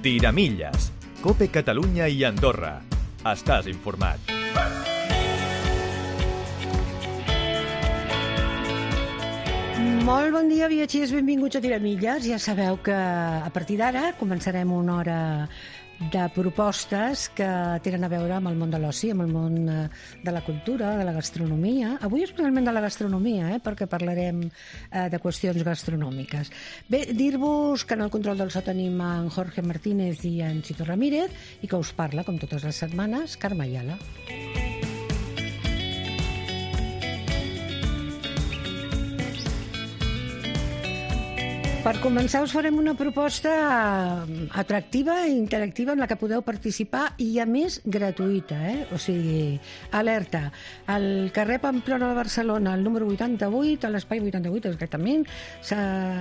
Tiramilles. COPE Catalunya i Andorra. Estàs informat. Molt bon dia, viatgers, benvinguts a Tiramilles. Ja sabeu que a partir d'ara començarem una hora de propostes que tenen a veure amb el món de l'oci, amb el món de la cultura, de la gastronomia. Avui especialment de la gastronomia, perquè parlarem de qüestions gastronòmiques. Bé, dir-vos que en el control del so tenim en Jorge Martínez i en Chito Ramírez i que us parla, com totes les setmanes, Carme Ayala. Per començar us farem una proposta atractiva i interactiva en la que podeu participar i, a més, gratuïta. O sigui, alerta, al carrer Pamplona de Barcelona, al número 88, a l'espai 88 exactament,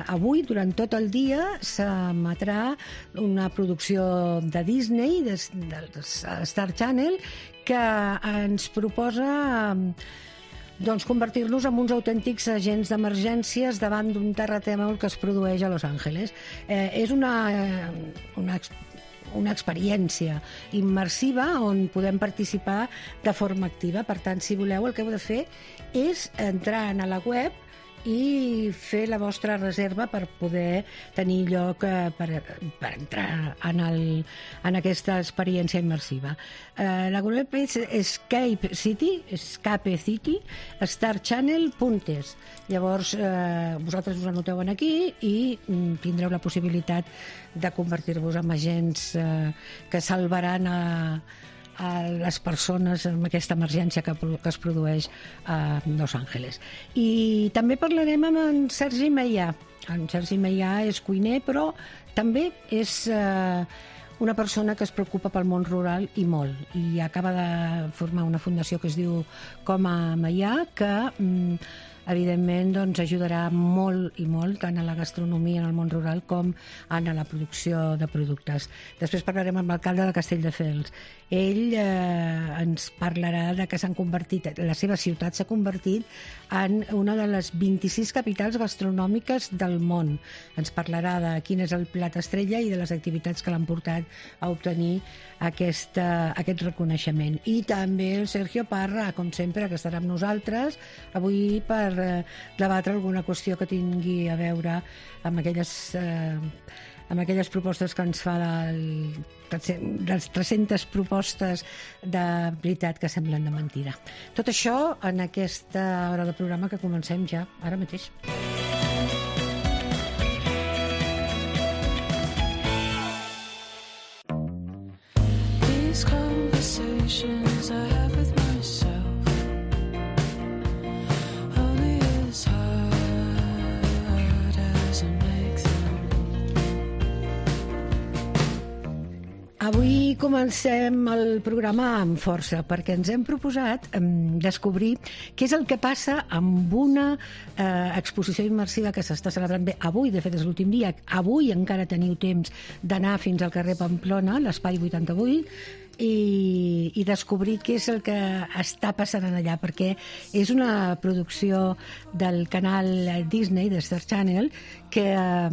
avui, durant tot el dia, s'emetrà una producció de Disney, de Star Channel, que ens proposa convertir-nos en uns autèntics agents d'emergències davant d'un terratrèmol que es produeix a Los Angeles. És una experiència immersiva on podem participar de forma activa. Per tant, si voleu, el que heu de fer és entrar a la web i fer la vostra reserva per poder tenir lloc per entrar en aquesta experiència immersiva. La web és Escape City, starchannel.es. Llavors, vosaltres us anoteu aquí i tindreu la possibilitat de convertir-vos en agents que salvaran a les persones amb aquesta emergència que es produeix a Los Angeles. I també parlarem amb en Sergi Meià. En Sergi Meià és cuiner, però també és una persona que es preocupa pel món rural i molt. I acaba de formar una fundació que es diu Coma Meià, que evidentment ajudarà molt i molt tant a la gastronomia en el món rural com en la producció de productes. Després parlarem amb l'alcalde de Castelldefels. Ell ens parlarà de que la seva ciutat s'ha convertit en una de les 26 capitals gastronòmiques del món. Ens parlarà de quin és el plat estrella i de les activitats que l'han portat a obtenir aquest reconeixement. I també el Sergio Parra, com sempre, que estarà amb nosaltres avui per debatre alguna qüestió que tingui a veure amb aquelles propostes que ens fa les 300 propostes de veritat que semblen de mentida. Tot això en aquesta hora de programa que comencem ja ara mateix. These conversations I have with myself only as hard as I make them. Avui comencem el programa amb força perquè ens hem proposat descobrir què és el que passa amb una exposició immersiva que s'està celebrant bé avui, de fet és l'últim dia, avui encara teniu temps d'anar fins al carrer Pamplona, l'espai 88, i descobrir què és el que està passant allà, perquè és una producció del canal Disney, de Star Channel, que ha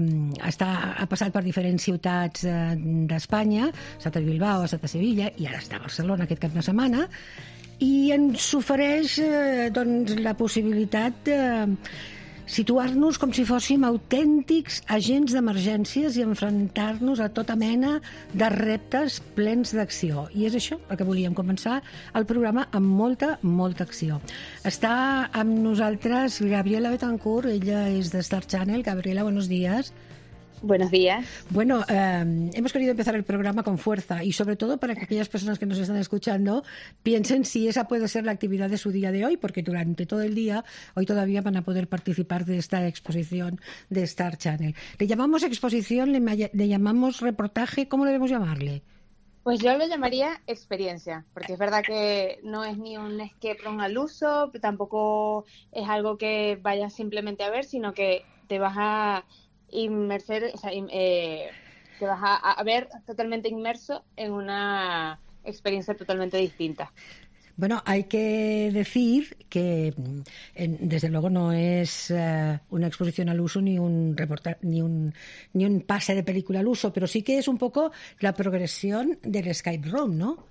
passat per diferents ciutats d'Espanya, ha estat a Bilbao, ha estat a Sevilla i ara està a Barcelona aquest cap de setmana, i ens ofereix la possibilitat de situar-nos com si fóssim autèntics agents d'emergències i enfrontar-nos a tota mena de reptes plens d'acció. I és això el que volíem començar el programa amb molta, molta acció. Està amb nosaltres Gabriela Betancourt, ella és de Star Channel. Gabriela, buenos días. Buenos días. Bueno, hemos querido empezar el programa con fuerza y sobre todo para que aquellas personas que nos están escuchando piensen si esa puede ser la actividad de su día de hoy, porque durante todo el día, hoy todavía van a poder participar de esta exposición de Star Channel. ¿Le llamamos exposición, le llamamos reportaje? ¿Cómo debemos llamarle? Pues yo lo llamaría experiencia, porque es verdad que no es ni un escape room al uso, tampoco es algo que vayas simplemente a ver, sino que te vas a inmerser, o sea, te vas a ver totalmente inmerso en una experiencia totalmente distinta. Bueno, hay que decir que desde luego no es una exposición al uso ni un ni un pase de película al uso, pero sí que es un poco la progresión del escape room, ¿no?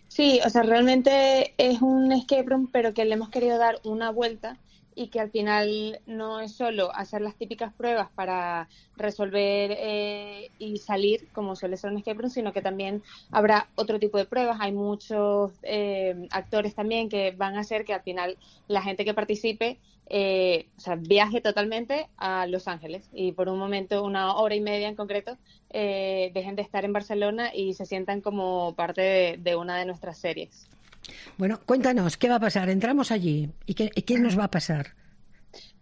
Sí, o sea, realmente es un escape room, pero que le hemos querido dar una vuelta y que al final no es solo hacer las típicas pruebas para resolver y salir, como suele ser un escape room, sino que también habrá otro tipo de pruebas. Hay muchos actores también que van a hacer que al final la gente que participe o sea, viaje totalmente a Los Ángeles y por un momento, 1 hora y media en concreto, dejen de estar en Barcelona y se sientan como parte de una de nuestras series. Bueno, cuéntanos, ¿qué va a pasar? Entramos allí y ¿qué nos va a pasar?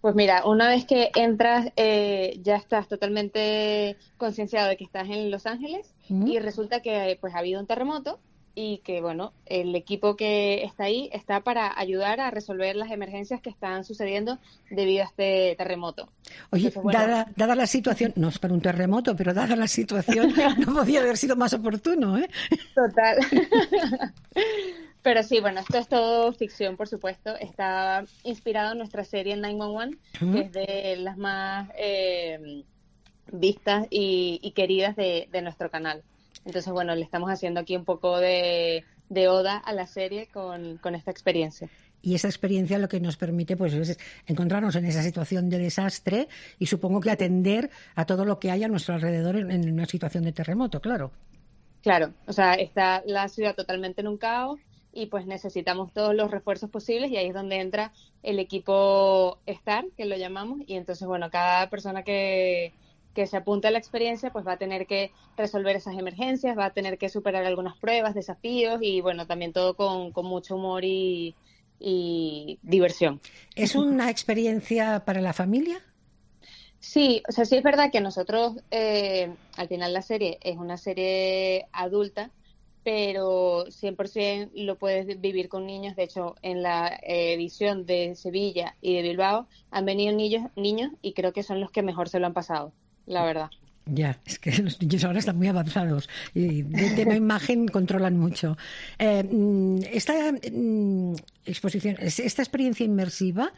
Pues mira, una vez que entras, ya estás totalmente concienciado de que estás en Los Ángeles y resulta que pues ha habido un terremoto y que, bueno, el equipo que está ahí está para ayudar a resolver las emergencias que están sucediendo debido a este terremoto. Oye, Entonces, bueno, dada la situación, no es para un terremoto, pero dada la situación, no podía haber sido más oportuno, ¿eh? Total. Pero sí, bueno, esto es todo ficción, por supuesto. Está inspirado en nuestra serie 911, que es de las más vistas y queridas de nuestro canal. Entonces, bueno, le estamos haciendo aquí un poco de oda a la serie con esta experiencia. Y esa experiencia lo que nos permite pues es encontrarnos en esa situación de desastre y supongo que atender a todo lo que hay a nuestro alrededor en una situación de terremoto, claro. Claro, o sea, está la ciudad totalmente en un caos y pues necesitamos todos los refuerzos posibles y ahí es donde entra el equipo STAR, que lo llamamos, y entonces, bueno, cada persona que se apunte a la experiencia pues va a tener que resolver esas emergencias, va a tener que superar algunas pruebas, desafíos y, bueno, también todo con mucho humor y diversión. ¿Es una experiencia para la familia? Sí, o sea, sí es verdad que nosotros, al final la serie es una serie adulta, pero 100% lo puedes vivir con niños. De hecho, en la edición de Sevilla y de Bilbao han venido niños y creo que son los que mejor se lo han pasado, la verdad. Ya, es que los niños ahora están muy avanzados y de tema imagen controlan mucho. Esta exposición, esta experiencia inmersiva,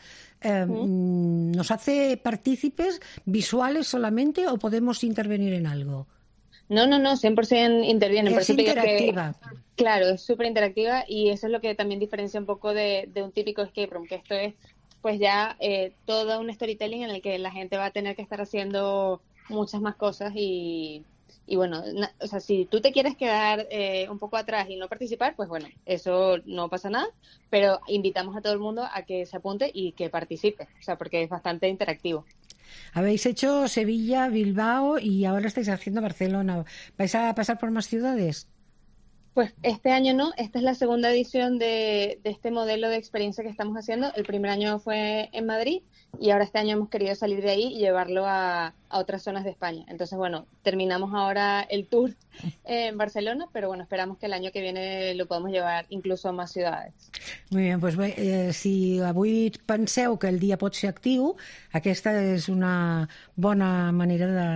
¿nos hace partícipes visuales solamente o podemos intervenir en algo? No, 100% intervienen. Es interactiva. Claro, es súper interactiva y eso es lo que también diferencia un poco de un típico escape room, que esto es pues ya todo un storytelling en el que la gente va a tener que estar haciendo muchas más cosas y bueno, o sea, si tú te quieres quedar un poco atrás y no participar, pues bueno, eso no pasa nada, pero invitamos a todo el mundo a que se apunte y que participe, o sea, porque es bastante interactivo. Habéis hecho Sevilla, Bilbao y ahora estáis haciendo Barcelona. ¿Vais a pasar por más ciudades? Pues este año no, esta es la segunda edición de este modelo de experiencia que estamos haciendo. El primer año fue en Madrid y ahora este año hemos querido salir de ahí y llevarlo a otras zonas de España. Entonces, bueno, terminamos ahora el tour en Barcelona, pero bueno, esperamos que el año que viene lo podamos llevar incluso a más ciudades. Muy bien, doncs bé, si avui penseu que el dia pot ser actiu, aquesta és una bona manera de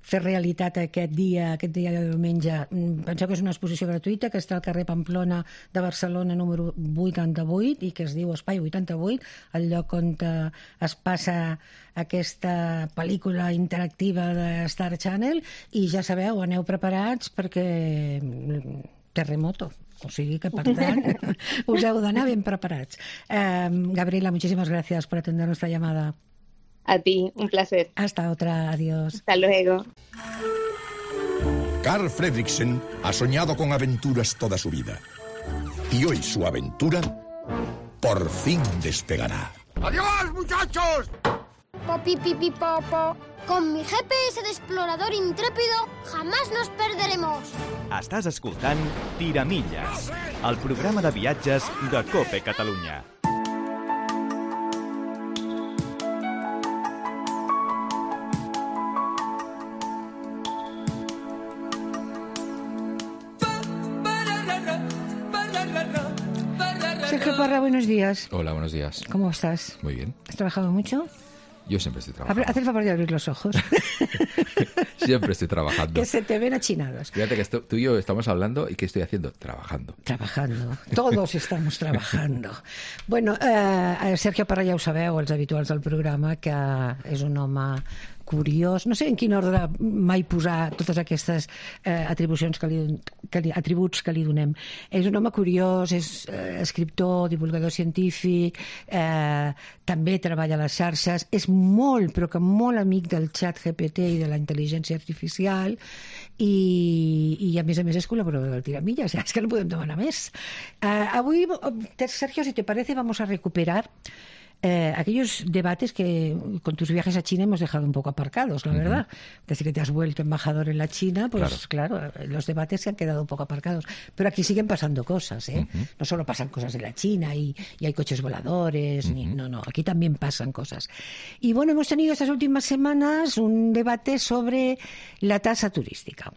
fer realitat aquest dia de diumenge. Penseu que és una exposició gratuïta que està al carrer Pamplona de Barcelona número 88 i que es diu Espai 88, el lloc on es passa aquesta pel·lícula interactiva de Star Channel i ja sabeu, aneu preparats perquè terremoto. O sigui que, per tant, us heu d'anar ben preparats. Gabriela, muchísimas gracias por atender nuestra llamada. A ti, un placer. Hasta otra, adiós. Hasta luego. Carl Fredricksen ha soñado con aventuras toda su vida. Y hoy su aventura por fin despegará. ¡Adiós, muchachos! Popi, pipi, popo. Con mi GPS de explorador intrépido jamás nos perderemos. Estàs escoltant Tiramilles, el programa de viatges de COPE Catalunya. Sergio Parra, buenos días. Hola, buenos días. ¿Cómo estás? Muy bien. ¿Has trabajado mucho? Yo siempre estoy trabajando. Haz el favor de abrir los ojos. Siempre estoy trabajando. Que se te ven achinados. Fíjate que tú y yo estamos hablando y ¿qué estoy haciendo? Trabajando. Trabajando. Todos estamos trabajando. Bueno, Sergio Parra ja ho sabeu, els habituals del programa, que és un home curiós. No sé en quin ordre mai posar totes aquestes atribucions atributs que li donem. És un home curiós, és escriptor, divulgador científic, també treballa a les xarxes, és molt, però que molt amic del xat GPT i de la intel·ligència artificial i a més és col·laborador del Tiramillas. És que no podem demanar més. Avui, Sergio, si te parece, vamos a recuperar aquellos debates que con tus viajes a China hemos dejado un poco aparcados, la verdad. Desde que te has vuelto embajador en la China, pues claro, los debates se han quedado un poco aparcados. Pero aquí siguen pasando cosas, ¿eh? No solo pasan cosas en la China y hay coches voladores, no, aquí también pasan cosas. Y bueno, hemos tenido estas últimas semanas un debate sobre la tasa turística.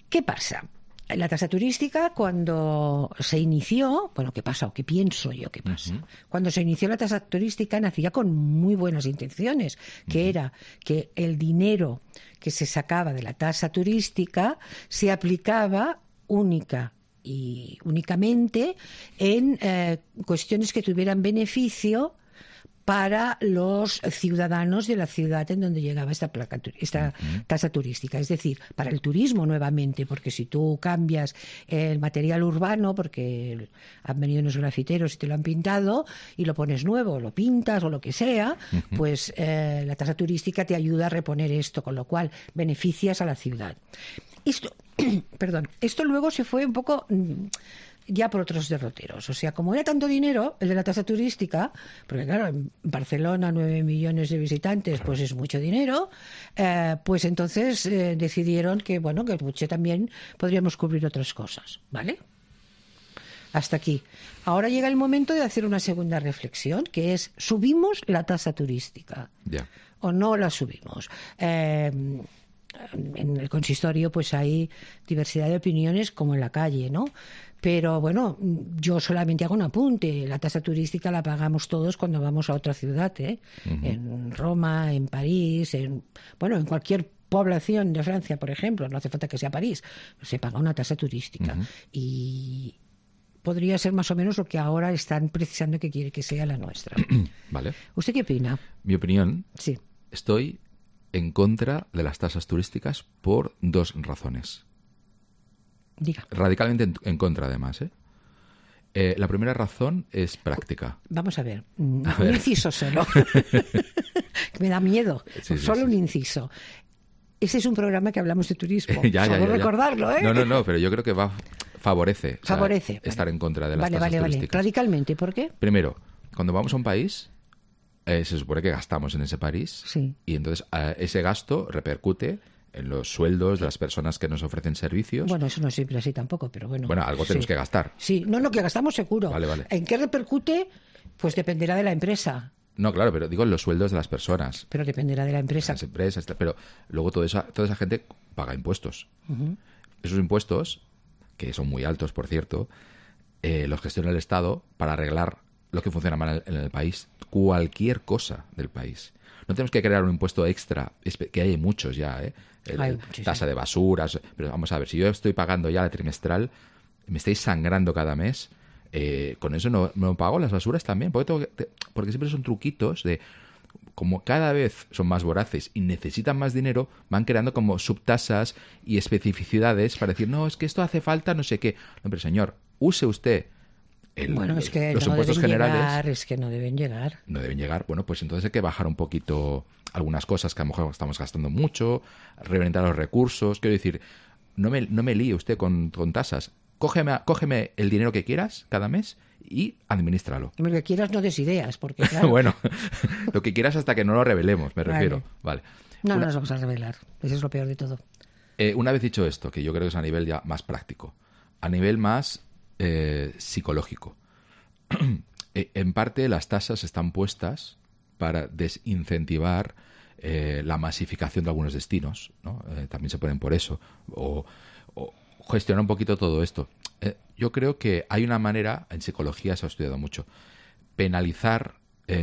¿Qué pasa? La tasa turística, cuando se inició, bueno, ¿qué pasa o qué pienso yo que pasa? Cuando se inició la tasa turística nacía con muy buenas intenciones, que era que el dinero que se sacaba de la tasa turística se aplicaba únicamente en cuestiones que tuvieran beneficio para los ciudadanos de la ciudad en donde llegaba esta tasa turística. Es decir, para el turismo nuevamente, porque si tú cambias el material urbano, porque han venido unos grafiteros y te lo han pintado, y lo pones nuevo, lo pintas o lo que sea, pues la tasa turística te ayuda a reponer esto, con lo cual beneficias a la ciudad. Esto luego se fue un poco ya por otros derroteros. O sea, como era tanto dinero el de la tasa turística, porque claro, en Barcelona 9 millones de visitantes, pues es mucho dinero, pues entonces decidieron que, bueno, que el budget también podríamos cubrir otras cosas, ¿vale? Hasta aquí. Ahora llega el momento de hacer una segunda reflexión, que es, ¿subimos la tasa turística? ¿O no la subimos? En el consistorio pues hay diversidad de opiniones como en la calle, ¿no? Pero bueno, yo solamente hago un apunte. La tasa turística la pagamos todos cuando vamos a otra ciudad, ¿eh? En Roma, en París, en cualquier población de Francia, por ejemplo, no hace falta que sea París, se paga una tasa turística. Y podría ser más o menos lo que ahora están precisando que quiere que sea la nuestra. Vale. ¿Usted qué opina? Mi opinión, sí. Estoy en contra de las tasas turísticas por dos razones. Diga. Radicalmente en contra, además, ¿eh? La primera razón es práctica. Vamos a ver. Un inciso solo. Me da miedo. Solo un inciso. Ese es un programa que hablamos de turismo. Solo recordarlo, ¿eh? No, pero yo creo que favorece. Favorece. Estar en contra de las tasas turísticas. Radicalmente, ¿por qué? Primero, cuando vamos a un país, se supone que gastamos en ese país. Sí. Y entonces ese gasto repercute en los sueldos de las personas que nos ofrecen servicios. Bueno, eso no es simple así tampoco, pero bueno. Bueno, algo tenemos que gastar. Sí, no, que gastamos seguro. Vale. ¿En qué repercute? Pues dependerá de la empresa. No, claro, pero digo en los sueldos de las personas. Pero dependerá de la empresa. Las empresas, pero luego toda esa gente paga impuestos. Esos impuestos, que son muy altos, por cierto, los gestiona el Estado para arreglar lo que funciona mal en el país, cualquier cosa del país. No tenemos que crear un impuesto extra, que hay muchos ya, ¿eh? Tasa de basuras, pero vamos a ver, si yo estoy pagando ya la trimestral, me estáis sangrando cada mes, con eso no pago las basuras también, porque siempre son truquitos de, como cada vez son más voraces y necesitan más dinero, van creando como subtasas y especificidades para decir, no, es que esto hace falta no sé qué. No, pero señor, use usted es que los no impuestos deben generales. Llegar, es que no deben llegar. No deben llegar. Bueno, pues entonces hay que bajar un poquito algunas cosas que a lo mejor estamos gastando mucho, reventar los recursos. Quiero decir, no me líe usted con tasas. Cógeme el dinero que quieras cada mes y administralo. Lo que quieras, no des ideas, porque claro. Bueno, lo que quieras hasta que no lo revelemos, me refiero. Vale. No nos vamos a revelar. Eso es lo peor de todo. Una vez dicho esto, que yo creo que es a nivel ya más práctico, a nivel más psicológico. En parte las tasas están puestas para desincentivar la masificación de algunos destinos, ¿no? También se ponen por eso, o gestionar un poquito todo esto. Yo creo que hay una manera, en psicología se ha estudiado mucho, penalizar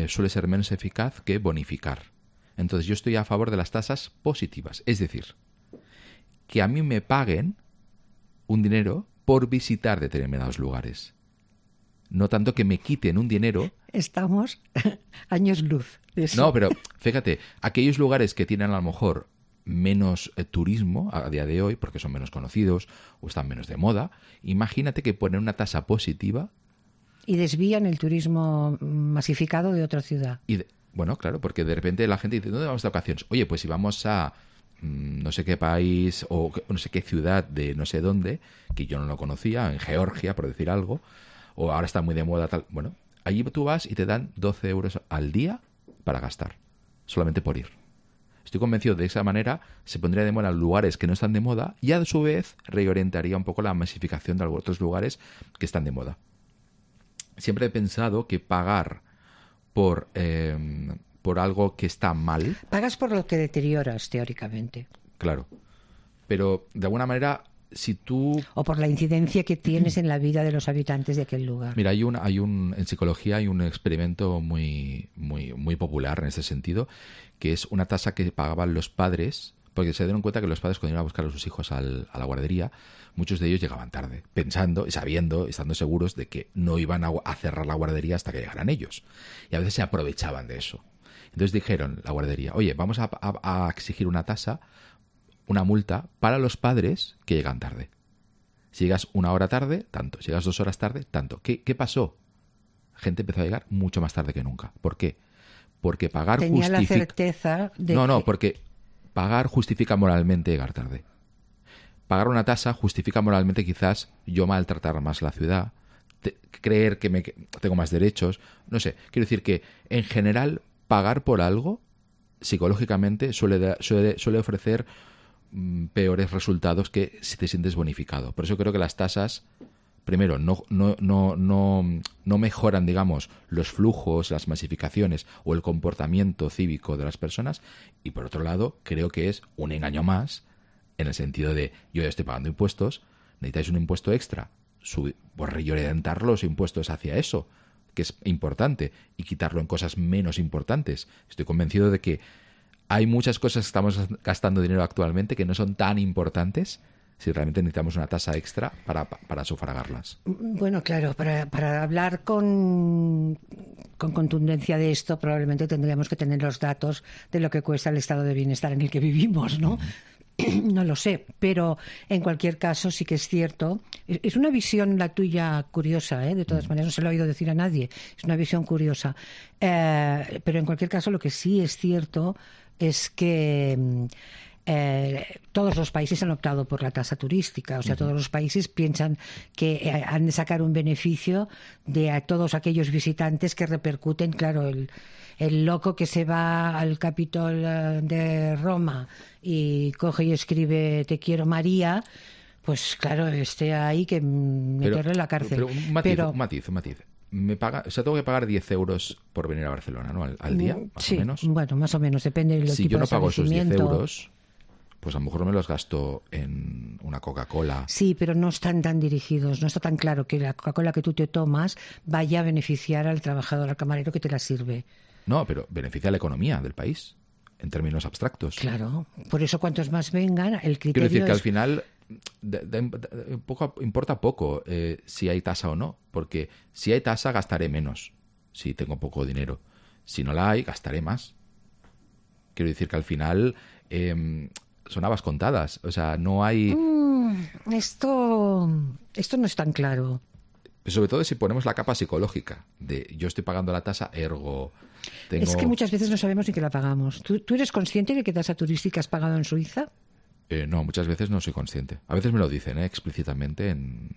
suele ser menos eficaz que bonificar. Entonces yo estoy a favor de las tasas positivas, es decir, que a mí me paguen un dinero por visitar determinados lugares. No tanto que me quiten un dinero. Estamos años luz de eso. No, pero fíjate, aquellos lugares que tienen a lo mejor menos turismo a día de hoy, porque son menos conocidos o están menos de moda, imagínate que ponen una tasa positiva. Y desvían el turismo masificado de otra ciudad. Bueno, claro, porque de repente la gente dice, ¿dónde vamos de vacaciones? Oye, pues si vamos a no sé qué país o no sé qué ciudad de no sé dónde, que yo no lo conocía, en Georgia, por decir algo, o ahora está muy de moda tal. Bueno, allí tú vas y te dan 12 euros al día para gastar, solamente por ir. Estoy convencido de esa manera se pondría de moda lugares que no están de moda y a su vez reorientaría un poco la masificación de otros lugares que están de moda. Siempre he pensado que pagar por algo que está mal... Pagas por lo que deterioras, teóricamente. Claro. Pero, de alguna manera, si tú... O por la incidencia que tienes en la vida de los habitantes de aquel lugar. Mira, en psicología hay un experimento muy, muy, muy popular en este sentido, que es una tasa que pagaban los padres, porque se dieron cuenta que los padres cuando iban a buscar a sus hijos a la guardería, muchos de ellos llegaban tarde, pensando y sabiendo, estando seguros de que no iban a cerrar la guardería hasta que llegaran ellos. Y a veces se aprovechaban de eso. Entonces dijeron la guardería, oye, vamos a exigir una tasa, una multa para los padres que llegan tarde. Si llegas 1 hora tarde, tanto. Si llegas 2 horas tarde, tanto. ¿Qué pasó? Gente empezó a llegar mucho más tarde que nunca. ¿Por qué? Porque pagar Tenía justifica... la certeza de porque pagar justifica moralmente llegar tarde. Pagar una tasa justifica moralmente quizás yo maltratar más la ciudad, creer que tengo más derechos, no sé. Quiero decir que en general pagar por algo psicológicamente suele ofrecer peores resultados que si te sientes bonificado. Por eso creo que las tasas, primero, no mejoran, digamos, los flujos, las masificaciones o el comportamiento cívico de las personas, y por otro lado, creo que es un engaño más en el sentido de yo ya estoy pagando impuestos, necesitáis un impuesto extra, pues reorientar los impuestos hacia eso, que es importante, y quitarlo en cosas menos importantes. Estoy convencido de que hay muchas cosas que estamos gastando dinero actualmente que no son tan importantes si realmente necesitamos una tasa extra para sufragarlas. Bueno, claro, para hablar con contundencia de esto probablemente tendríamos que tener los datos de lo que cuesta el estado de bienestar en el que vivimos, ¿no? No lo sé, pero en cualquier caso sí que es cierto. Es una visión la tuya curiosa, ¿eh? De todas maneras no se lo he oído decir a nadie. Es una visión curiosa. Pero en cualquier caso lo que sí es cierto es que todos los países han optado por la tasa turística. O sea, todos los países piensan que han de sacar un beneficio de todos aquellos visitantes que repercuten, claro, el loco que se va al Capitol de Roma y coge y escribe "Te quiero María", pues claro, esté ahí que meterlo en la cárcel. Pero un matiz. Tengo que pagar 10 euros por venir a Barcelona, ¿no? Al día, más o menos. Bueno, más o menos, depende del tipo de Si yo no pago esos 10 establecimiento. euros, pues a lo mejor me los gasto en una Coca-Cola. Sí, pero no están tan dirigidos, no está tan claro que la Coca-Cola que tú te tomas vaya a beneficiar al trabajador, al camarero que te la sirve. No, pero beneficia a la economía del país, en términos abstractos. Claro, por eso cuantos más vengan, el criterio Quiero decir que es... al final importa poco si hay tasa o no, porque si hay tasa gastaré menos, si tengo poco dinero. Si no la hay, gastaré más. Quiero decir que al final son habas contadas, o sea, no hay... Esto no es tan claro. Sobre todo si ponemos la capa psicológica de yo estoy pagando la tasa, ergo tengo... Es que muchas veces no sabemos ni que la pagamos. ¿Tú eres consciente de qué tasa turística has pagado en Suiza? No, muchas veces no soy consciente. A veces me lo dicen explícitamente en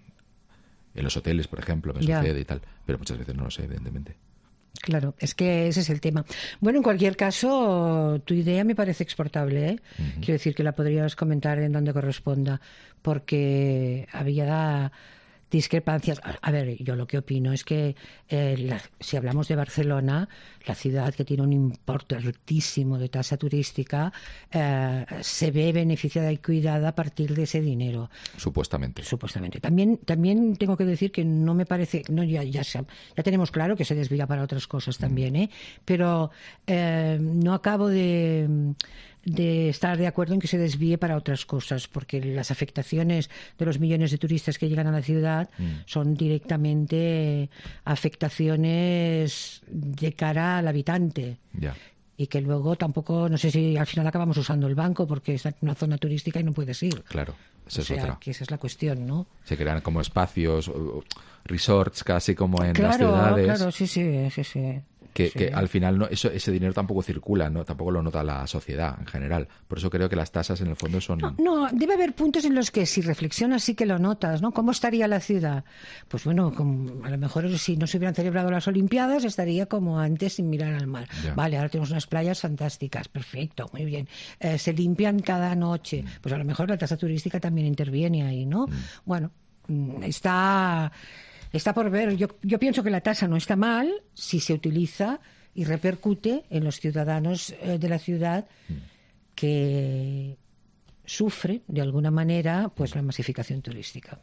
los hoteles, por ejemplo, me sucede y tal, pero muchas veces no lo sé, evidentemente. Claro, es que ese es el tema. Bueno, en cualquier caso, tu idea me parece exportable, ¿eh? Quiero decir que la podrías comentar en donde corresponda, porque había discrepancias. A ver, yo lo que opino es que si hablamos de Barcelona, la ciudad que tiene un importe altísimo de tasa turística, se ve beneficiada y cuidada a partir de ese dinero. Supuestamente. También tengo que decir que no me parece, ya tenemos claro que se desvía para otras cosas también, pero no acabo de estar de acuerdo en que se desvíe para otras cosas, porque las afectaciones de los millones de turistas que llegan a la ciudad son directamente afectaciones de cara al habitante. Ya. Y que luego tampoco, no sé si al final acabamos usando el banco porque es una zona turística y no puedes ir. Claro, esa es otra. Que esa es la cuestión, ¿no? Se crean como espacios, resorts casi como en las ciudades. Claro, sí. Que al final ese dinero tampoco circula, ¿no? Tampoco lo nota la sociedad en general. Por eso creo que las tasas en el fondo son... No, debe haber puntos en los que si reflexionas sí que lo notas, ¿no? ¿Cómo estaría la ciudad? Pues bueno, a lo mejor si no se hubieran celebrado las Olimpiadas estaría como antes sin mirar al mar. Ya. Vale, ahora tenemos unas playas fantásticas, perfecto, muy bien. Se limpian cada noche. Pues a lo mejor la tasa turística también interviene ahí, ¿no? Bueno, Está por ver. Yo pienso que la tasa no está mal si se utiliza y repercute en los ciudadanos de la ciudad que sufren, de alguna manera, pues la masificación turística.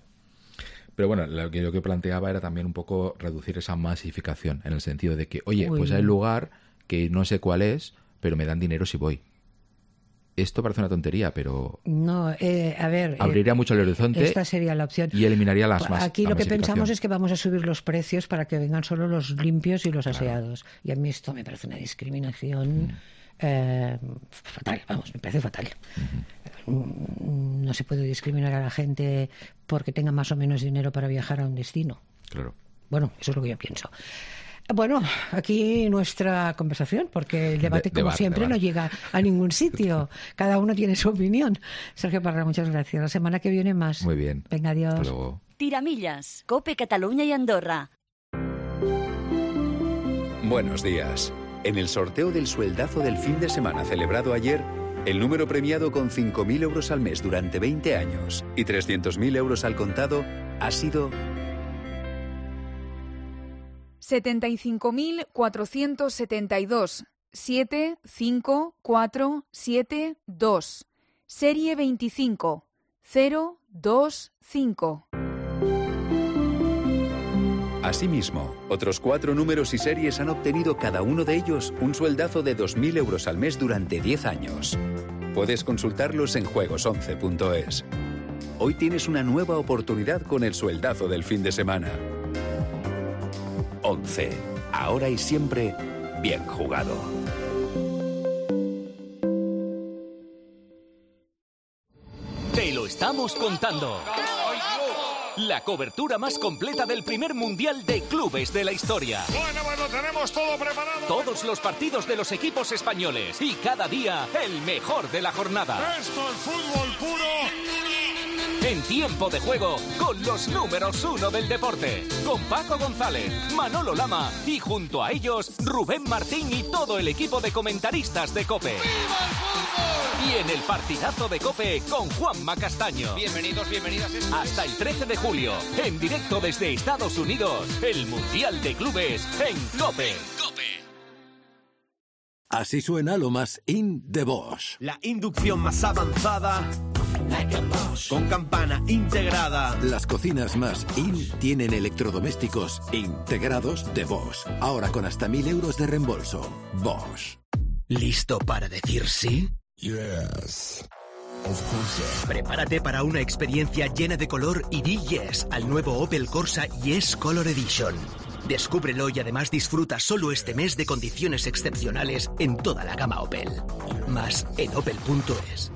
Pero bueno, lo que yo planteaba era también un poco reducir esa masificación, en el sentido de que, oye, pues hay lugar que no sé cuál es, pero me dan dinero si voy. Esto parece una tontería, pero no, a ver, abriría mucho el horizonte. Esta sería la opción. Y eliminaría las más. Aquí lo que pensamos es que vamos a subir los precios para que vengan solo los limpios y los aseados. Y a mí esto me parece una discriminación fatal, me parece fatal. No se puede discriminar a la gente porque tenga más o menos dinero para viajar a un destino. Claro. Bueno, eso es lo que yo pienso. Bueno, aquí nuestra conversación, porque el debate, como siempre, no llega a ningún sitio. Cada uno tiene su opinión. Sergio Parra, muchas gracias. La semana que viene más. Muy bien. Venga, adiós. Hasta luego. Tiramillas, COPE Cataluña y Andorra. Buenos días. En el sorteo del sueldazo del fin de semana celebrado ayer, el número premiado con 5.000 euros al mes durante 20 años y 300.000 euros al contado ha sido 75.472 75472 Serie 25 025. Asimismo, otros 4 números y series han obtenido cada uno de ellos un sueldazo de 2.000 euros al mes durante 10 años. Puedes consultarlos en juegos11.es. Hoy tienes una nueva oportunidad con el sueldazo del fin de semana. 11. Ahora y siempre, bien jugado. Te lo estamos contando. La cobertura más completa del primer mundial de clubes de la historia. Bueno, tenemos todo preparado. Todos los partidos de los equipos españoles y cada día el mejor de la jornada. Esto es fútbol puro. En tiempo de juego, con los números 1 del deporte, con Paco González, Manolo Lama y junto a ellos, Rubén Martín y todo el equipo de comentaristas de COPE. ¡Viva el fútbol! Y en el partidazo de COPE con Juanma Castaño. Bienvenidos, bienvenidas. Hasta el 13 de julio, en directo desde Estados Unidos, el Mundial de Clubes en COPE. Así suena lo más in de Bosch. La inducción más avanzada, con campana integrada. Las cocinas más in tienen electrodomésticos integrados de Bosch. Ahora con hasta 1.000 euros de reembolso. Bosch. ¿Listo para decir sí? Yes. Of course. Prepárate para una experiencia llena de color y di yes al nuevo Opel Corsa Yes Color Edition. Descúbrelo y además disfruta solo este mes de condiciones excepcionales en toda la gama Opel. Más en opel.es.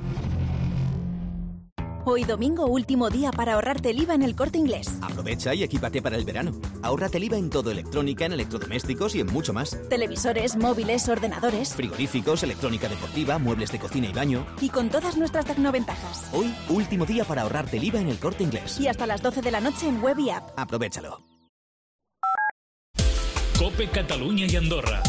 Hoy domingo, último día para ahorrarte el IVA en El Corte Inglés. Aprovecha y equípate para el verano. Ahórrate el IVA en todo electrónica, en electrodomésticos y en mucho más. Televisores, móviles, ordenadores. Frigoríficos, electrónica deportiva, muebles de cocina y baño. Y con todas nuestras tecnoventajas. Hoy, último día para ahorrarte el IVA en El Corte Inglés. Y hasta las 12 de la noche en web y app. Aprovéchalo. COPE Cataluña y Andorra.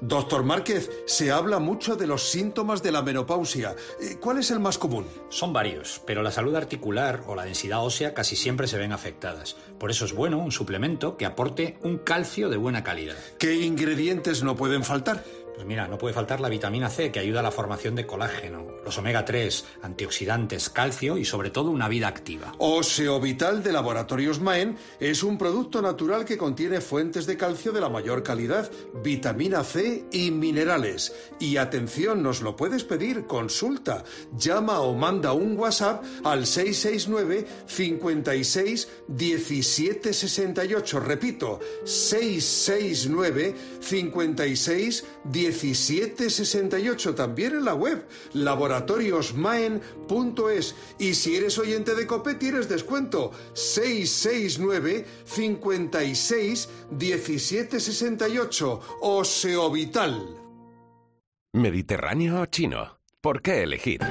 Doctor Márquez, se habla mucho de los síntomas de la menopausia. ¿Cuál es el más común? Son varios, pero la salud articular o la densidad ósea casi siempre se ven afectadas. Por eso es bueno un suplemento que aporte un calcio de buena calidad. ¿Qué ingredientes no pueden faltar? Pues mira, no puede faltar la vitamina C, que ayuda a la formación de colágeno, los omega 3, antioxidantes, calcio y sobre todo una vida activa. Oseovital de Laboratorios Maen es un producto natural que contiene fuentes de calcio de la mayor calidad, vitamina C y minerales. Y atención, nos lo puedes pedir, consulta. Llama o manda un WhatsApp al 669 56 17 68. Repito, 669 56 1768, también en la web laboratoriosmaen.es. Y si eres oyente de COPE tienes descuento 669 56 1768. Oseovital. ¿Mediterráneo o chino? ¿Por qué elegir?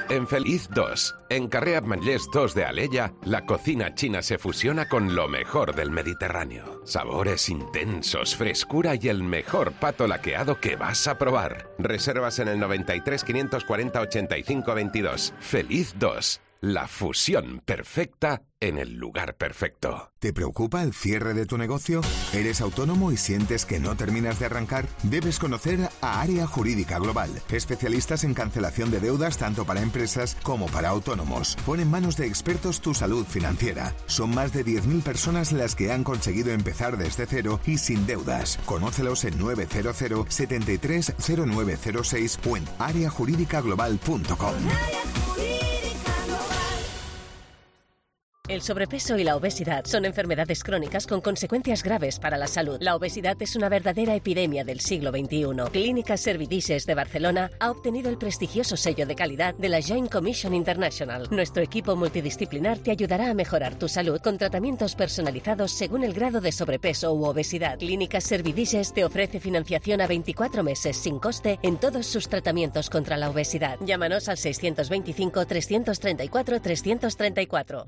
En Feliz 2, en Carrer Ametllers 2 de Alella, la cocina china se fusiona con lo mejor del Mediterráneo. Sabores intensos, frescura y el mejor pato laqueado que vas a probar. Reservas en el 93 540 85 22. Feliz 2, la fusión perfecta en el lugar perfecto. ¿Te preocupa el cierre de tu negocio? ¿Eres autónomo y sientes que no terminas de arrancar? Debes conocer a Área Jurídica Global, especialistas en cancelación de deudas tanto para empresas como para autónomos. Pon en manos de expertos tu salud financiera. Son más de 10.000 personas las que han conseguido empezar desde cero y sin deudas. Conócelos en 900 73 0906 o en areajurídicaglobal.com. El sobrepeso y la obesidad son enfermedades crónicas con consecuencias graves para la salud. La obesidad es una verdadera epidemia del siglo XXI. Clínica Servidices de Barcelona ha obtenido el prestigioso sello de calidad de la Joint Commission International. Nuestro equipo multidisciplinar te ayudará a mejorar tu salud con tratamientos personalizados según el grado de sobrepeso u obesidad. Clínica Servidices te ofrece financiación a 24 meses sin coste en todos sus tratamientos contra la obesidad. Llámanos al 625 334 334.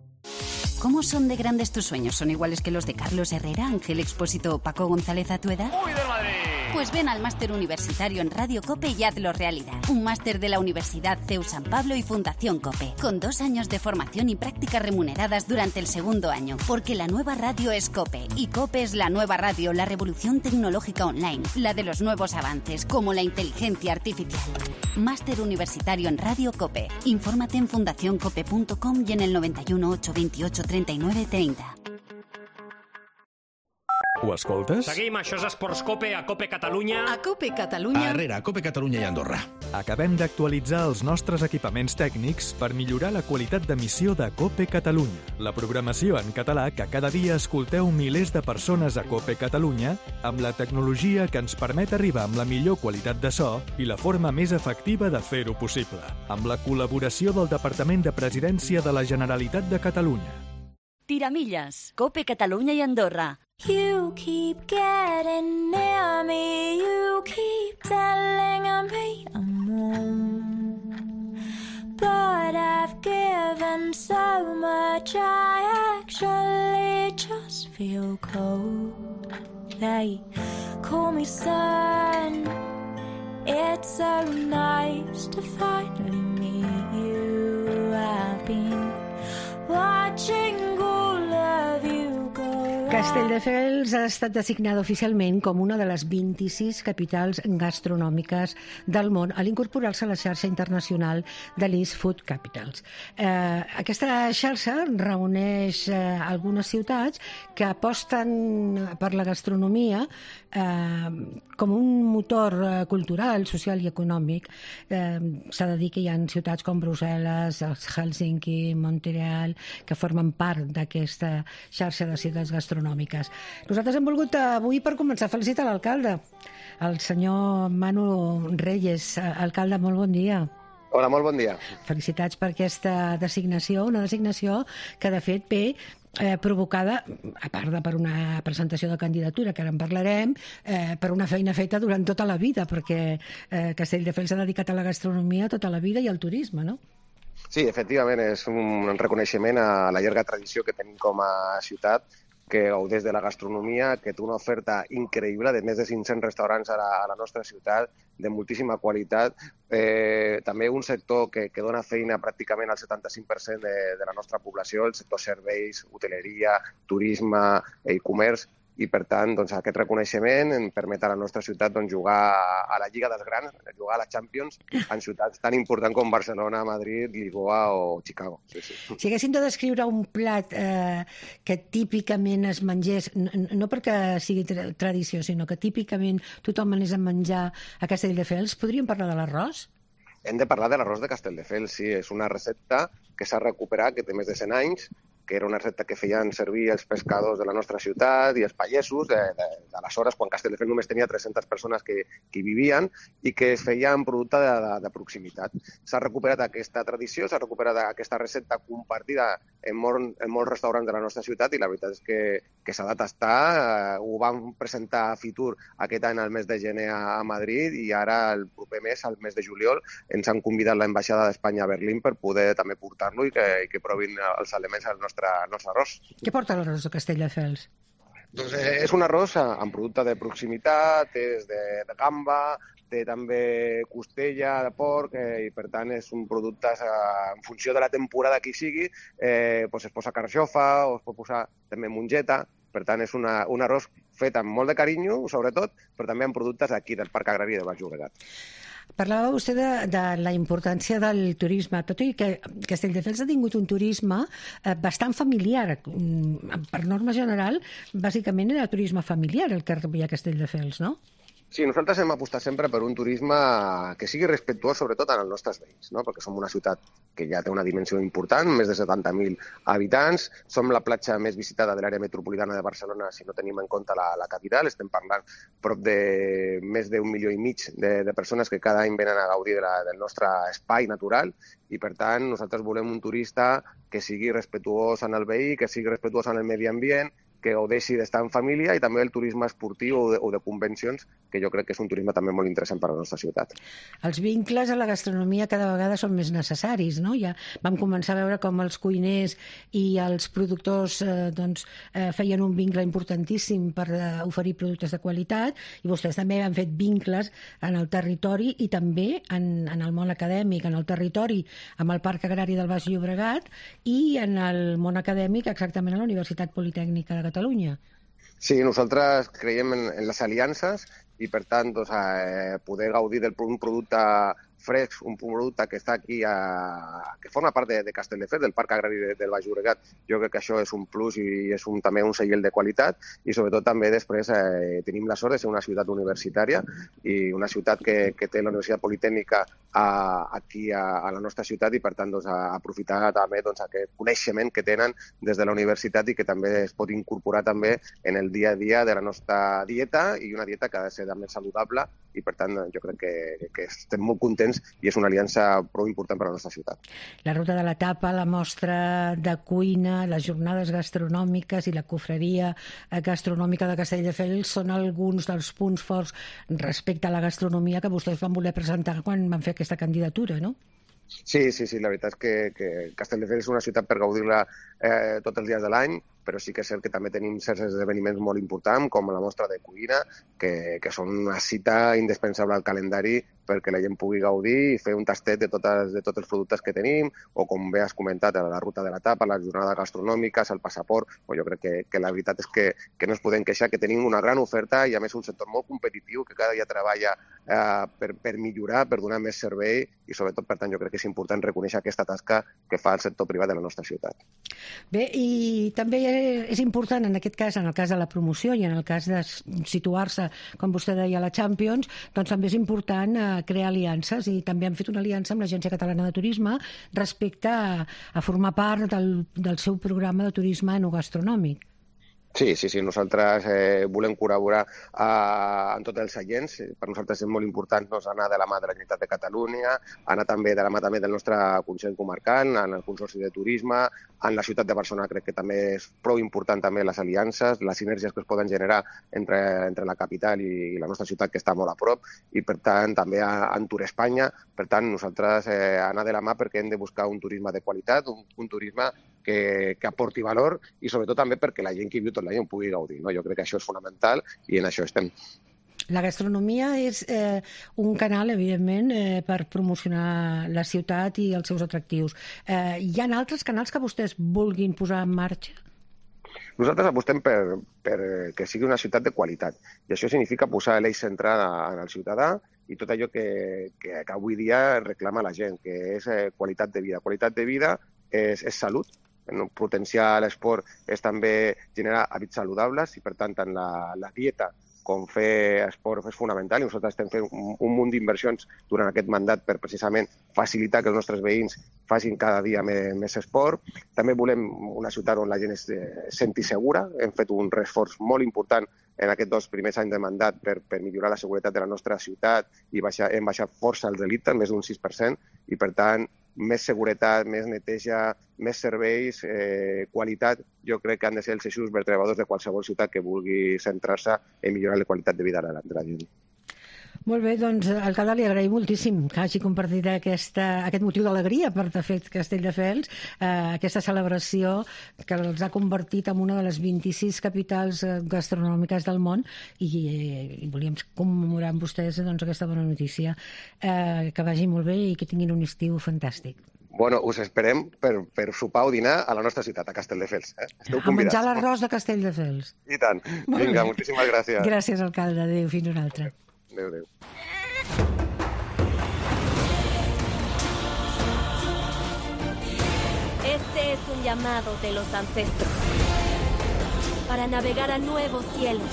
¿Cómo son de grandes tus sueños? ¿Son iguales que los de Carlos Herrera, Ángel Expósito o Paco González a tu edad? ¡Uy, del Madrid! Pues ven al máster universitario en Radio COPE y hazlo realidad. Un máster de la Universidad CEU San Pablo y Fundación COPE, con 2 años de formación y prácticas remuneradas durante el segundo año. Porque la nueva radio es COPE, y COPE es la nueva radio, la revolución tecnológica online, la de los nuevos avances, como la inteligencia artificial. Máster universitario en Radio COPE. Infórmate en fundacioncope.com y en el 91 828 39 30. Ho escoltes? Seguim, això és Esports Cope, a Cope Catalunya. A Cope Catalunya. A Cope Catalunya i Andorra. Acabem d'actualitzar els nostres equipaments tècnics per millorar la qualitat d'emissió de Cope Catalunya, la programació en català que cada dia escolteu milers de persones a Cope Catalunya, amb la tecnologia que ens permet arribar amb la millor qualitat de so i la forma més efectiva de fer-ho possible, amb la col·laboració del Departament de Presidència de la Generalitat de Catalunya. Tiramilles, Cope Catalunya i Andorra. You keep getting near me, you keep telling me I'm wrong. But I've given so much, I actually just feel cold. They call me son, it's so nice to finally meet you. I've been watching all of you go. Castelldefels ha estat designada oficialment com una de les 26 capitals gastronòmiques del món a l'incorporar-se a la xarxa internacional de l'East Food Capitals. Aquesta xarxa reuneix algunes ciutats que aposten per la gastronomia com un motor cultural, social i econòmic. S'ha de dir que hi ha ciutats com Brussel·les, Helsinki, Montreal, que formen part d'aquesta xarxa de ciutats gastronòmiques. Nosaltres hem volgut avui, per començar, felicitar l'alcalde, el senyor Manu Reyes. Alcalde, molt bon dia. Hola, molt bon dia. Felicitats per aquesta designació, una designació que de fet ve provocada, a part de per una presentació de candidatura, que ara en parlarem, per una feina feta durant tota la vida, perquè Castelldefels s'ha dedicat a la gastronomia tota la vida i al turisme, no? Sí, efectivament, és un reconeixement a la llarga tradició que tenim com a ciutat que gaudeix de la gastronomia, que té una oferta increïble de més de 500 restaurants a la nostra ciutat, de moltíssima qualitat. També un sector que dona feina pràcticament al 75% de la nostra població, el sector serveis, hoteleria, turisme i comerç, i per tant aquest reconeixement ens permet a la nostra ciutat jugar a la Lliga dels Grans, jugar a la Champions en ciutats tan importants com Barcelona, Madrid, Lisboa o Chicago. Si haguéssim de descriure un plat que típicament es mengés, no perquè sigui tradició, sinó que típicament tothom anés a menjar a Castelldefels, podríem parlar de l'arròs? Hem de parlar de l'arròs de Castelldefels, sí. És una recepta que s'ha recuperat, que té més de 100 anys, que era una recepta que feien servir els pescadors de la nostra ciutat i els pagesos d'aleshores, quan Castelldefels només tenia 300 persones que hi vivien i que es feia en producte de proximitat. S'ha recuperat aquesta tradició, s'ha recuperat aquesta recepta compartida en molts restaurants de la nostra ciutat i la veritat és que s'ha de tastar. Ho vam presentar a Fitur aquest any al mes de gener a Madrid i ara el proper mes, al mes de juliol, ens han convidat l'ambaixada d'Espanya a Berlín per poder també portar-lo i que provin els elements del nostre arròs. Què porta l'arròs de Castelldefels? Doncs és un arròs amb producte de proximitat, és de gamba, té també costella de porc i per tant és un producte en funció de la temporada que hi sigui, es posa carxofa o es pot posar també mongeta, per tant és un arròs fet amb molt de carinyo, sobretot, però també amb productes d'aquí, del Parc Agrari de Baix Llobregat. Parlava vostè de la importància del turisme, tot i que Castelldefels ha tingut un turisme bastant familiar. Per norma general, bàsicament era turisme familiar el que rebia Castelldefels, no? Sí, nosaltres hem apostat sempre per un turisme que sigui respectuós sobretot en els nostres veïns, no? Perquè som una ciutat que ja té una dimensió important, més de 70.000 habitants, som la platja més visitada de l'àrea metropolitana de Barcelona si no tenim en compte la capital, estem parlant prop de més d'1,5 milió de persones que cada any venen a gaudir del nostre espai natural i per tant nosaltres volem un turista que sigui respectuós en el veí, que sigui respectuós en el medi ambient, que gaudeixi d'estar en família i també el turisme esportiu o de convencions, que jo crec que és un turisme també molt interessant per a la nostra ciutat. Els vincles a la gastronomia cada vegada són més necessaris, no? Ja vam començar a veure com els cuiners i els productors feien un vincle importantíssim per oferir productes de qualitat i vostès també han fet vincles en el territori i també en el món acadèmic, en el territori amb el Parc Agrari del Baix Llobregat i en el món acadèmic exactament a la Universitat Politècnica de Catalunya. Sí, nosaltres creiem en les aliances i, per tant, poder gaudir d'un producte fresc, un producte que està aquí, que forma part de Castelldefels, del Parc Agrari del Baix Llobregat. Jo crec que això és un plus i és també un segell de qualitat i sobretot també després tenim la sort de ser una ciutat universitària i una ciutat que té la Universitat Politècnica aquí a la nostra ciutat i per tant aprofitar també aquest coneixement que tenen des de la universitat i que també es pot incorporar també en el dia a dia de la nostra dieta i una dieta que ha de ser també saludable i per tant jo crec que estem molt contents i és una aliança prou important per a la nostra ciutat. La Ruta de la Tapa, la mostra de cuina, les jornades gastronòmiques i la cofreria gastronòmica de Castelldefels són alguns dels punts forts respecte a la gastronomia que vostès van voler presentar quan van fer aquesta candidatura, no? Sí, la veritat és que Castelldefels és una ciutat per gaudir-la tots els dies de l'any, però sí que és cert que també tenim certs esdeveniments molt importants, com la mostra de cuina, que són una cita indispensable al calendari perquè la gent pugui gaudir i fer un tastet de tots els productes que tenim, o com bé has comentat, la Ruta de la Tapa, les jornades gastronòmiques, el passaport. Jo crec que la veritat és que no ens podem queixar, que tenim una gran oferta i a més un sector molt competitiu que cada dia treballa per millorar, per donar més servei i sobretot, per tant, jo crec que és important reconèixer aquesta tasca que fa el sector privat de la nostra ciutat. Bé, i també és important en aquest cas, en el cas de la promoció i en el cas de situar-se, com vostè deia, a la Champions, doncs també és important crear aliances i també han fet una aliança amb l'Agència Catalana de Turisme respecte a formar part del seu programa de turisme enogastronòmic. Sí, nosaltres volem col·laborar en tots els agents. Per nosaltres és molt important anar de la mà de la Generalitat de Catalunya, anar també de la mà del nostre Consell Comarcal, en el Consorci de Turisme, en la ciutat de Barcelona crec que també és prou important també les aliances, les sinergies que es poden generar entre la capital i la nostra ciutat que està molt a prop i per tant també en Tour Espanya. Per tant nosaltres anar de la mà perquè hem de buscar un turisme de qualitat, un turisme que aporti valor i sobretot també perquè la gent que viu tot l'any en pugui gaudir. Jo crec que això és fonamental i en això estem. La gastronomia és un canal, evidentment, per promocionar la ciutat i els seus atractius. Hi ha altres canals que vostès vulguin posar en marxa? Nosaltres apostem per que sigui una ciutat de qualitat i això significa posar l'eix central en el ciutadà i tot allò que avui dia reclama la gent, que és qualitat de vida. Qualitat de vida és salut. Potenciar l'esport és també generar hàbits saludables i, per tant, tant la dieta com fer esport és fonamental i nosaltres estem fent un munt d'inversions durant aquest mandat per precisament facilitar que els nostres veïns facin cada dia més esport. També volem una ciutat on la gent es senti segura. Hem fet un esforç molt important en aquests 2 primers anys de mandat per millorar la seguretat de la nostra ciutat i hem baixat força els delictes, més d'un 6%, i per tant més seguretat, més neteja, més serveis, qualitat, jo crec que han de ser els eixos vertebradors de qualsevol ciutat que vulgui centrar-se en millorar la qualitat de vida de la gent. Molt bé, doncs, alcalde, li agraïm moltíssim que hagi compartit aquest motiu d'alegria per de fet Castelldefels, aquesta celebració que els ha convertit en una de les 26 capitals gastronòmiques del món i volíem commemorar amb vostès aquesta bona notícia. Que vagi molt bé i que tinguin un estiu fantàstic. Bueno, us esperem per sopar o dinar a la nostra ciutat, a Castelldefels. Esteu convidats. A menjar l'arròs de Castelldefels. I tant. Vinga, moltíssimes gràcies. Gràcies, alcalde. Adéu, fins una altra. Adéu, adéu. Este es un llamado de los ancestros para navegar a nuevos cielos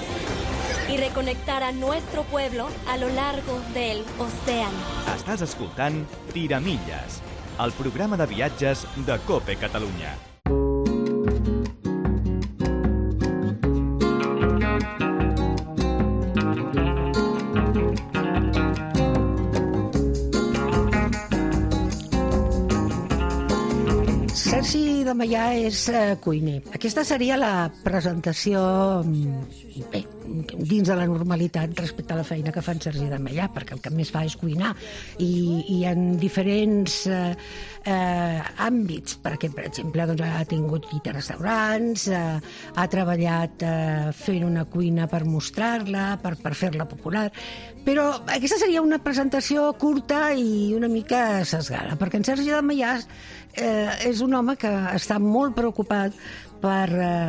y reconectar a nuestro pueblo a lo largo del océano. Estàs escoltant Tiramilles, el programa de viatges de COPE Catalunya. Sergi de Meià és cuiner. Aquesta seria la presentació dins de la normalitat respecte a la feina que fa en Sergi de Meià, perquè el que més fa és cuinar i en diferents àmbits, perquè, per exemple, ha tingut restaurants, ha treballat fent una cuina per mostrar-la, per fer-la popular, però aquesta seria una presentació curta i una mica sesgada, perquè en Sergi de Meià és un home que està molt preocupat per,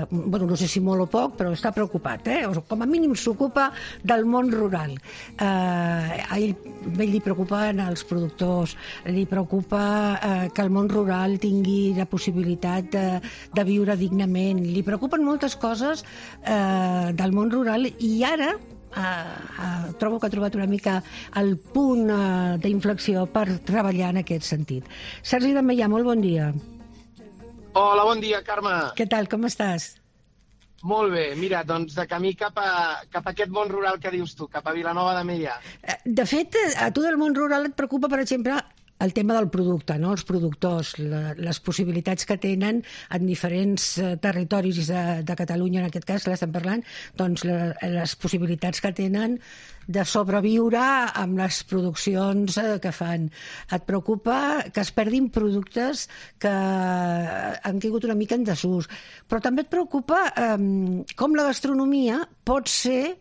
no sé si molt o poc, però està preocupat, com a mínim s'ocupa del món rural. A ell li preocupen els productors, li preocupa que el món rural tingui la possibilitat de viure dignament, li preocupen moltes coses del món rural i ara trobo que ha trobat una mica el punt d'inflexió per treballar en aquest sentit. Sergi de Meià, molt bon dia. Hola, bon dia, Carme. Què tal, com estàs? Molt bé, mira, doncs de camí cap a aquest món rural que dius tu, cap a Vilanova de Meià. De fet, a tu del món rural et preocupa, per exemple, el tema del producte, no? Els productors, les possibilitats que tenen en diferents territoris de Catalunya, en aquest cas, que l'estem parlant, doncs les possibilitats que tenen de sobreviure amb les produccions que fan. Et preocupa que es perdin productes que han caigut una mica en desús, però també et preocupa com la gastronomia pot ser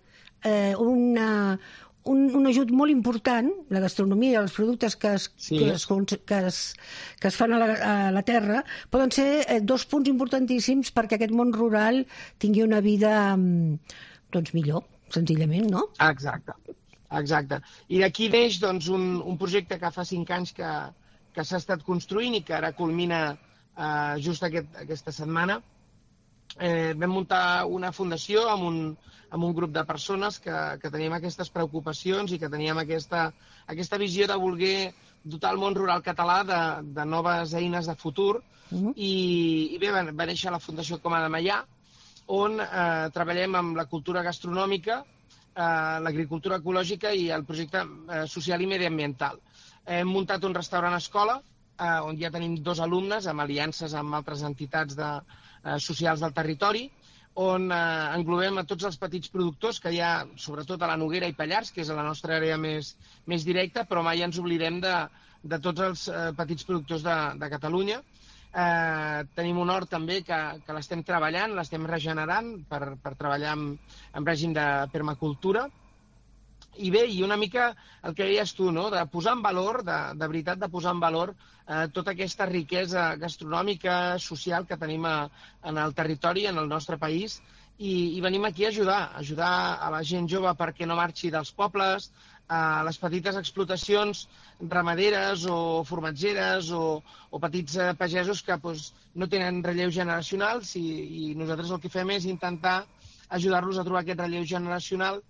un ajut molt important, la gastronomia i els productes que es fan a la terra poden ser 2 punts importantíssims perquè aquest món rural tingui una vida millor, senzillament, no? Exacte. I d'aquí neix un projecte que fa 5 anys que s'ha estat construint i que ara culmina just aquesta setmana. Vam muntar una fundació amb un grup de persones que teníem aquestes preocupacions i que teníem aquesta visió de voler dotar el món rural català de noves eines de futur. I bé, va néixer la Fundació Coma de Meià, on treballem amb la cultura gastronòmica, l'agricultura ecològica i el projecte social i mediambiental. Hem muntat un restaurant escola, on ja tenim 2 alumnes amb aliances amb altres entitats socials del territori, on englobem a tots els petits productors que hi ha, sobretot a la Noguera i Pallars, que és la nostra àrea més directa, però mai ens oblidem de tots els petits productors de Catalunya. Tenim un hort també que l'estem treballant, l'estem regenerant per treballar en règim de permacultura. I bé, i una mica el que deies tu, no? De posar en valor, de veritat de posar en valor tota aquesta riquesa gastronòmica, social que tenim en el territori, en el nostre país, i venim aquí a ajudar a la gent jove perquè no marxi dels pobles, a les petites explotacions ramaderes o formatgeres o petits pagesos que no tenen relleus generacionals i nosaltres el que fem és intentar ajudar-los a trobar aquest relleu generacional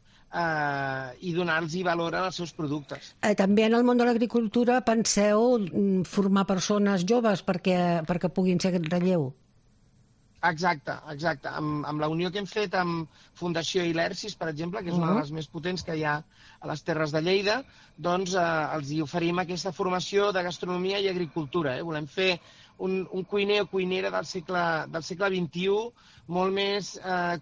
i donar-los valor als seus productes. També en el món de l'agricultura penseu formar persones joves perquè puguin ser aquest relleu? Exacte. Amb la unió que hem fet amb Fundació Ilersis, per exemple, que és una de les més potents que hi ha a les Terres de Lleida, doncs els hi oferim aquesta formació de gastronomia i agricultura. Volem fer un cuiner o cuinera del segle XXI molt més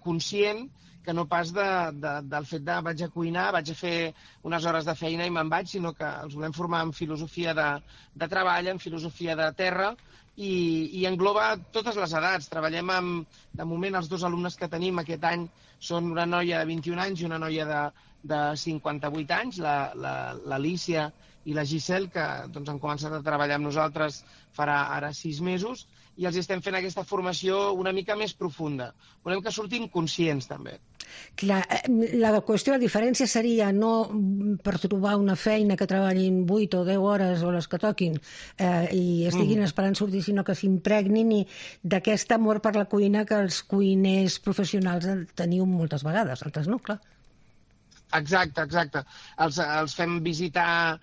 conscient que no pas del fet de vaig a cuinar, vaig a fer unes hores de feina i me'n vaig, sinó que els volem formar en filosofia de treball, en filosofia de terra, i engloba totes les edats. Treballem de moment, els 2 alumnes que tenim aquest any són una noia de 21 anys i una noia de 58 anys, l'Alícia i la Giselle, que han començat a treballar amb nosaltres farà ara 6 mesos, i els estem fent aquesta formació una mica més profunda. Volem que surtin conscients, també. Clar, la qüestió, la diferència seria no per trobar una feina que treballin 8 o 10 hores o les que toquin i estiguin esperant sortir, sinó que s'impregnin d'aquest amor per la cuina que els cuiners professionals teniu moltes vegades, altres no, clar. Exacte. Els fem visitar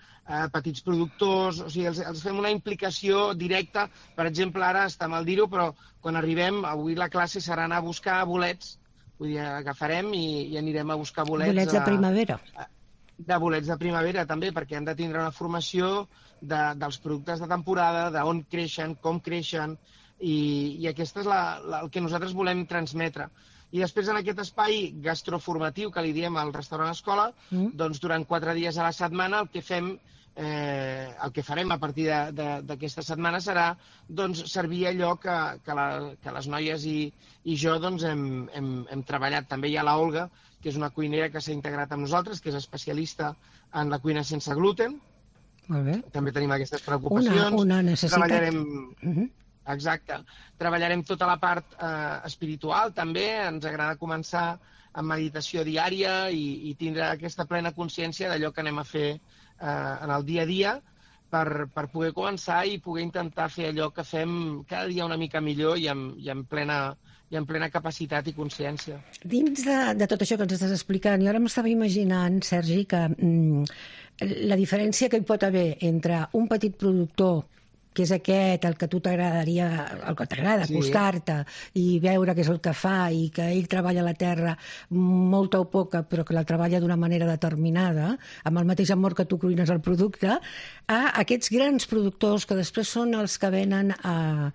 petits productors, o sigui, els fem una implicació directa. Per exemple, ara està mal dir-ho, però quan arribem, avui la classe serà anar a buscar bolets. Vull dir, agafarem i anirem a buscar bolets. Bolets de primavera. De bolets de primavera, també, perquè han de tindre una formació dels productes de temporada, d'on creixen, com creixen, i aquesta és el que nosaltres volem transmetre. I després, en aquest espai gastroformatiu que li diem al restaurant escola, doncs durant 4 dies a la setmana el que farem a partir d'aquesta setmana serà servir allò que les noies i jo hem treballat. També hi ha l'Olga, que és una cuinera que s'ha integrat amb nosaltres, que és especialista en la cuina sense gluten. Molt bé. També tenim aquestes preocupacions. Una necessitat. Exacte. Treballarem tota la part espiritual, també. Ens agrada començar amb meditació diària i tindre aquesta plena consciència d'allò que anem a fer en el dia a dia per poder començar i poder intentar fer allò que fem cada dia una mica millor i en plena capacitat i consciència. Dins de tot això que ens estàs explicant, jo ara m'estava imaginant, Sergi, que la diferència que hi pot haver entre un petit productor, que és aquest, el que a tu t'agradaria, el que t'agrada, acostar-te i veure què és el que fa i que ell treballa la terra molta o poca, però que la treballa d'una manera determinada, amb el mateix amor que tu cuines el producte, a aquests grans productors que després són els que venen a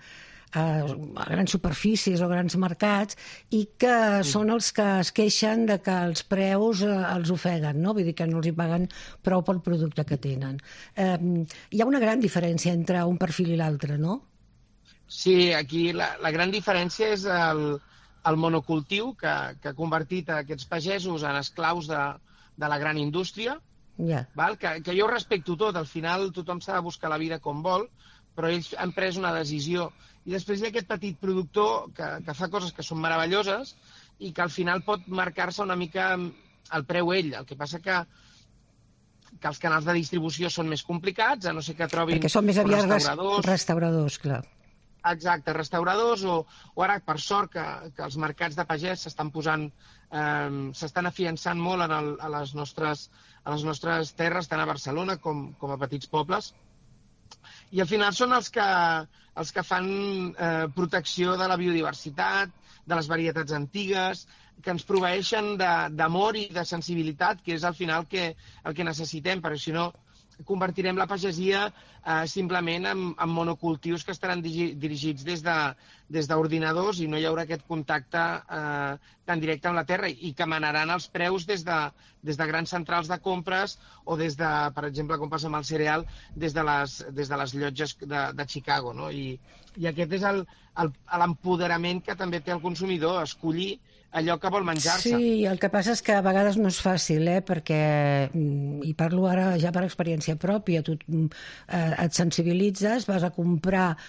grans superfícies o grans mercats i que són els que es queixen de que els preus els ofeguen, no? Vull dir que no els hi paguen prou pel producte que tenen. Hi ha una gran diferència entre un perfil i l'altre, no? Sí, aquí la gran diferència és el monocultiu que ha convertit aquests pagesos en esclaus de la gran indústria, que jo respecto tot, al final tothom s'ha de buscar la vida com vol, però ells han pres una decisió. I després hi ha aquest petit productor que fa coses que són meravelloses i que al final pot marcar-se una mica el preu ell. El que passa que els canals de distribució són més complicats, a no ser que trobin perquè són més aviat restauradors, clar. Exacte, restauradors, o ara, per sort, que els mercats de pagès s'estan afiançant molt a les nostres terres, tant a Barcelona com a petits pobles. I al final són els que fan protecció de la biodiversitat, de les varietats antigues, que ens proveeixen d'amor i de sensibilitat, que és al final el que necessitem, perquè si no convertirem la pagesia simplement en monocultius que estaran dirigits des d'ordinadors i no hi haurà aquest contacte tan directe amb la terra i que manaran els preus des de grans centrals de compres o des de, per exemple, com passa amb el cereal, des de les llotges de Chicago, no? I aquest és l'empoderament que també té el consumidor, escollir allò que vol menjar-se. Sí, el que passa és que a vegades no és fàcil, perquè, i parlo ara ja per experiència pròpia, tu et sensibilitzes, vas a comprar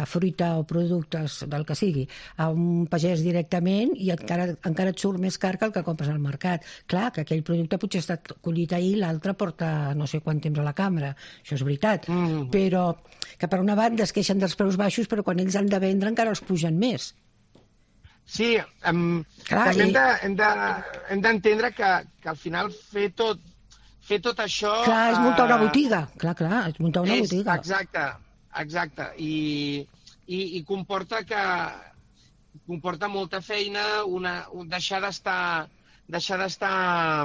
fruita o productes del que sigui a un pagès directament i encara et surt més car que el que compres al mercat. Clar, que aquell producte potser ha estat collit ahir, l'altre porta no sé quant temps a la cambra, això és veritat, però que per una banda es queixen dels preus baixos, però quan ells han de vendre encara els pugen més. Sí, també hem d'entendre que al final fer tot això... Clar, és muntar una botiga. Clar, és muntar una botiga. Exacte. I comporta molta feina, deixar d'estar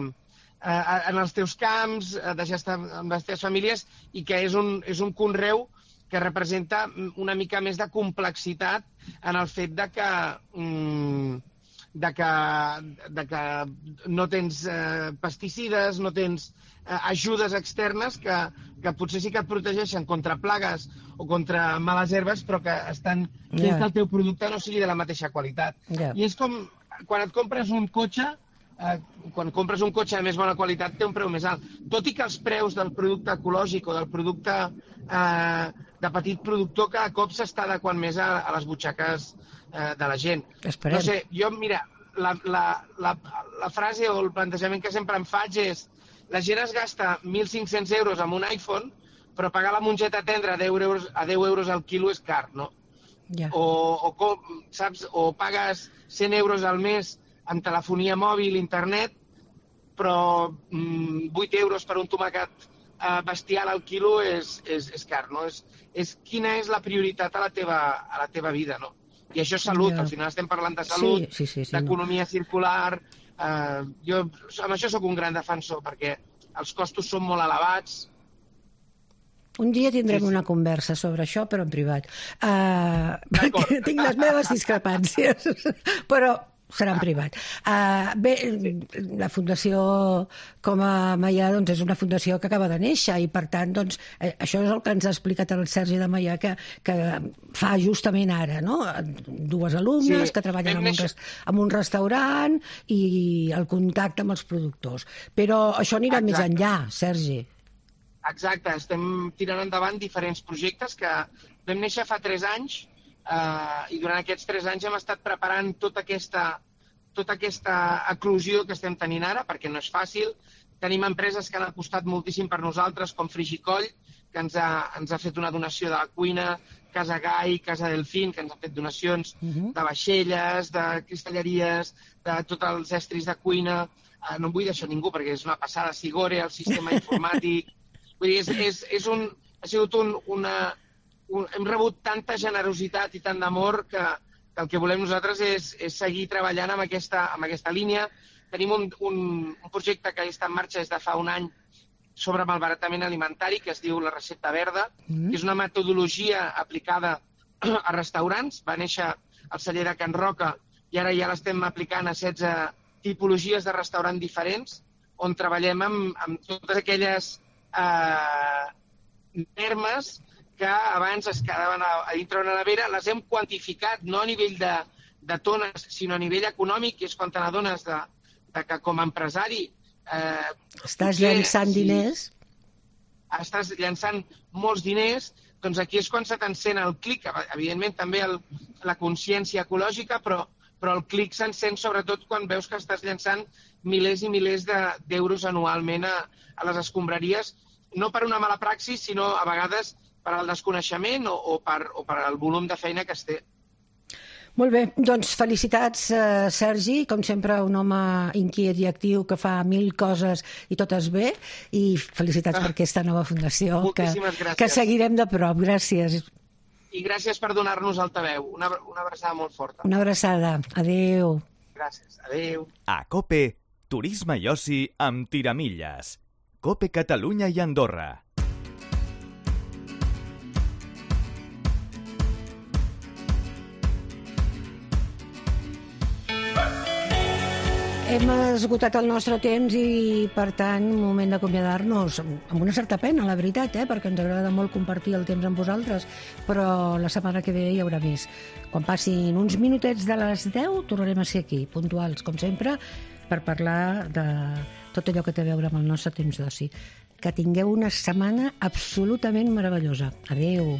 en els teus camps, deixar d'estar amb les teves famílies, i que és un conreu que representa una mica més de complexitat en el fet de que no tens pesticides, no tens ajudes externes que potser sí que et protegeixen contra plagues o contra males herbes, però que estan fent que el teu producte no sigui de la mateixa qualitat. I és com quan et compres un cotxe, de més bona qualitat té un preu més alt. Tot i que els preus del producte ecològic o del producte de petit productor cada cop s'està adequant més a les butxaques de la gent. Esperem. No sé, jo, mira, la frase o el plantejament que sempre em faig és la gent es gasta 1.500 euros en un iPhone, però pagar la mongeta tendra a 10 euros al quilo és car, no? O pagues 100 euros al mes amb telefonia mòbil, internet, però 8 euros per un tomàquet bestial al quilo és car, no? És quina és la prioritat a la teva vida, no? I això és salut, al final estem parlant de salut, d'economia circular. Jo amb això sóc un gran defensor, perquè els costos són molt elevats. Un dia tindrem una conversa sobre això, però en privat. Perquè tinc les meves discrepàncies, però serà en privat. Bé, la Fundació Com a Maià és una fundació que acaba de néixer i, per tant, això és el que ens ha explicat el Sergi de Maià que fa justament ara, no? Dues alumnes que treballen en un restaurant i el contacte amb els productors. Però això anirà més enllà, Sergi. Exacte, estem tirant endavant diferents projectes que vam néixer fa 3 anys i durant aquests 3 anys hem estat preparant tota aquesta eclosió que estem tenint ara, perquè no és fàcil. Tenim empreses que han apostat moltíssim per nosaltres, com Frigicoll, que ens ha fet una donació de la cuina, Casa Gai, Casa Delfín, que ens ha fet donacions de vaixelles, de cristalleries, de tots els estris de cuina. No em vull deixar ningú, perquè és una passada. Sigore, el sistema informàtic. Vull dir, ha sigut hem rebut tanta generositat i tant d'amor que el que volem nosaltres és seguir treballant amb aquesta línia. Tenim un projecte que està en marxa des de fa un any sobre malbaratament alimentari, que es diu la recepta verda, que és una metodologia aplicada a restaurants. Va néixer al celler de Can Roca i ara ja l'estem aplicant a 16 tipologies de restaurant diferents, on treballem amb totes aquelles termes que abans es quedaven a dintre una nevera, les hem quantificat, no a nivell de tones, sinó a nivell econòmic, i és quan te n'adones que com a empresari... Estàs llançant diners? Estàs llançant molts diners, doncs aquí és quan se t'encén el clic. Evidentment també la consciència ecològica, però el clic s'encén sobretot quan veus que estàs llançant milers i milers d'euros anualment a les escombraries, no per una mala praxis, sinó a vegades per al desconeixement o per al volum de feina que es té. Molt bé, doncs felicitats, Sergi, com sempre un home inquiet i actiu que fa 1000 coses i totes bé, i felicitats per aquesta nova fundació que seguirem de prop. Gràcies. I gràcies per donar-nos altaveu. Una abraçada molt forta. Una abraçada. Adéu. Gràcies. Adéu. A COPE, turisme i oci amb Tiramilles. COPE Catalunya i Andorra. Hem esgotat el nostre temps i, per tant, moment d'acomiadar-nos amb una certa pena, la veritat, perquè ens agrada molt compartir el temps amb vosaltres, però la setmana que ve hi haurà més. Quan passin uns minutets de les 10, tornarem a ser aquí, puntuals, com sempre, per parlar de tot allò que té a veure amb el nostre temps d'oci. Que tingueu una setmana absolutament meravellosa. Adéu.